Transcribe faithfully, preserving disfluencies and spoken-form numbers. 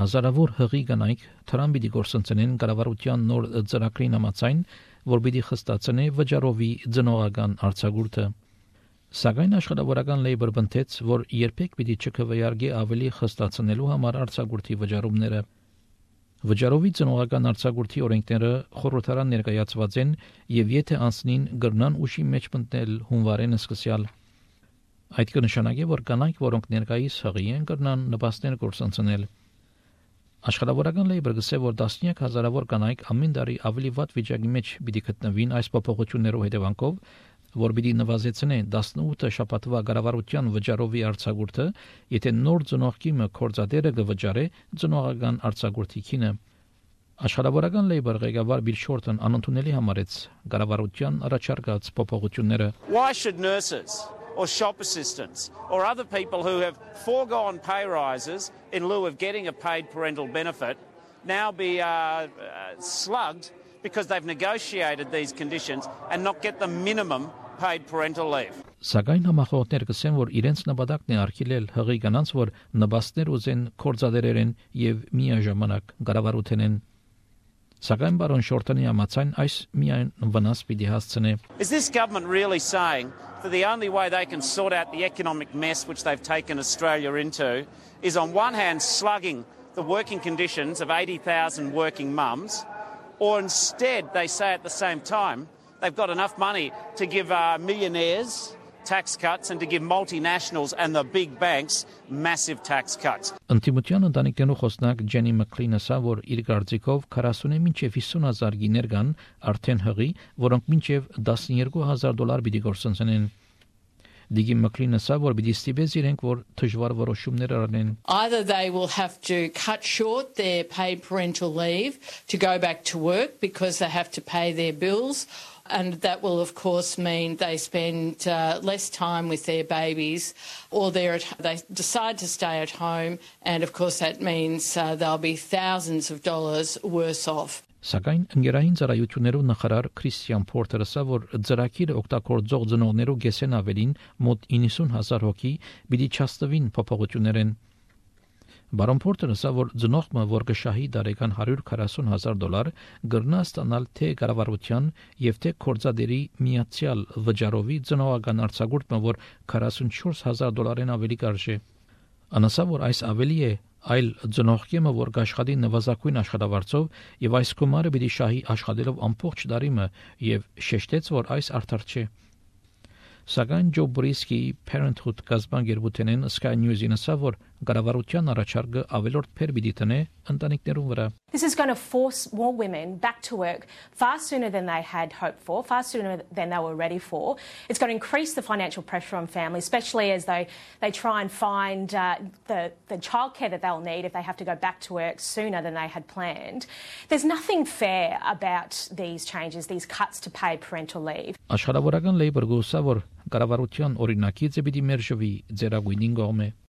Հազարավոր հղի կանայք թրան պիտի գործընծնեն կառավարության նոր ծրագրին համաձայն, որ պիտի խստացնե վճարովի ծնողական արձակուրդը։ Սակայն աշխատավորական լեյբր բնթեց, որ երբեք պիտի չքվեարկի ավելի խստացնելու համար արձակուրդի վճարումները։ Վճարովի ծնողական արձակուրդի օրենքները խորհրդարան ներկայացված են եւ եթե անցնին գրնան ուշի մեջ մտնել հունվարեն սկսյալ։ Այդ կնշանակի, որ կանայք, որոնք ներկայիս հղի են, կրնան նպաստներ գործընծնել։ Աշխատավորական լեյբր գսե, որ տասնյակ հազարավոր կանայք ամեն տարի ավելի վատ վիճակի մեջ պիտի գտնվին այս փոփոխություններով հետևանքով, որ պիտի նվազեցնե տասնութ շաբաթվա կառավարության վճարովի արձակուրդը, եթե նոր ծնողքիմը կորձադերը կվճարե ծնողական արձակուրդի քինը։ Աշխատավորական լեյբր ղեկավար Բիլ Շորտն անընդունելի համարեց կառավարության առաջարկած փոփոխությունները։ Why should nurses or shop assistants or other people who have foregone pay rises in lieu of getting a paid parental benefit now be uh, uh, slugged because they've negotiated these conditions and not get the minimum paid parental leave? Սակայն համախոհներ կսեն, որ իրենց նպատակն է արգելել հղի կանանց, որ նպաստներ ուզեն կորձադերերեն եւ միաժամանակ կառավարութենեն։ Սակայն բարոն Շորտոնի համաձայն այս միայն վնաս պիտի հասցնե։ Is this government really saying that the only way they can sort out the economic mess which they've taken Australia into is on one hand slugging the working conditions of eighty thousand working mums, or instead they say at the same time they've got enough money to give uh, millionaires tax cuts and to give multinationals and the big banks massive tax cuts. Ընտիմության ընտանիքներու խոսնակ Ջենի Մակլինը ասա, որ իր կարծիքով քառասունը մինչև հիսուն հազար գիներ կան արդեն հղի, որոնք մինչև տասնյոթ հազար դոլար պիտի գործընծնեն։ Դիգի Մակլինը ասա, որ պիտի ստիպես իրենք, որ դժվար որոշումներ առնեն։ Either they will have to cut short their paid parental leave to go back to work because they have to pay their bills. And that will, of course, mean they spend uh, less time with their babies, or they're at, they decide to stay at home, and of course that means uh, they'll be thousands of dollars worse off. Սակայն ընկերային ծառայություններով նախարար Քրիստիան Փորթերը ասա, որ ծրագիրը օգտագործող ծնողներու գեսեն ավելին մոտ իննսուն հազար հոգի պիտի չաստվին փոփոխություններեն։ Բարոն Փորթերը ասա, որ ծնողը, որ կշահի տարեկան հարյուր քառասուն հազար դոլար, կգրնա ստանալ թե կառավարության եւ թե կորձադերի միացյալ վճարովի ծնողական արձակուրդը, որ քառասունչորս հազար դոլարեն ավելի կարժե։ Անասա, որ այս ավելի է այլ ծնողքեմը, որ կաշխատի նվազագույն աշխատավարձով եւ այս գումարը պիտի շահի աշխատելով ամբողջ տարիմը եւ շեշտեց, որ այս արդար չէ։ Սակայն Ջո Բրիսկի Parenthood գազբանգերբութենեն Sky News-ին ասա, որ կառավարության առաջարկը ավելորդ փեր պիտի տնե ընտանիքներուն վրա։ This is going to force more women back to work far sooner than they had hoped for, far sooner than they were ready for. It's going to increase the financial pressure on families, especially as they, they try and find uh, the, the childcare that they'll need if they have to go back to work sooner than they had planned. There's nothing fair about these changes, these cuts to paid parental leave. Աշխատավորական լեյբր գուսա, որ կառավարության օրինակիցը պիտի մերժվի ձերագույնին կողմը։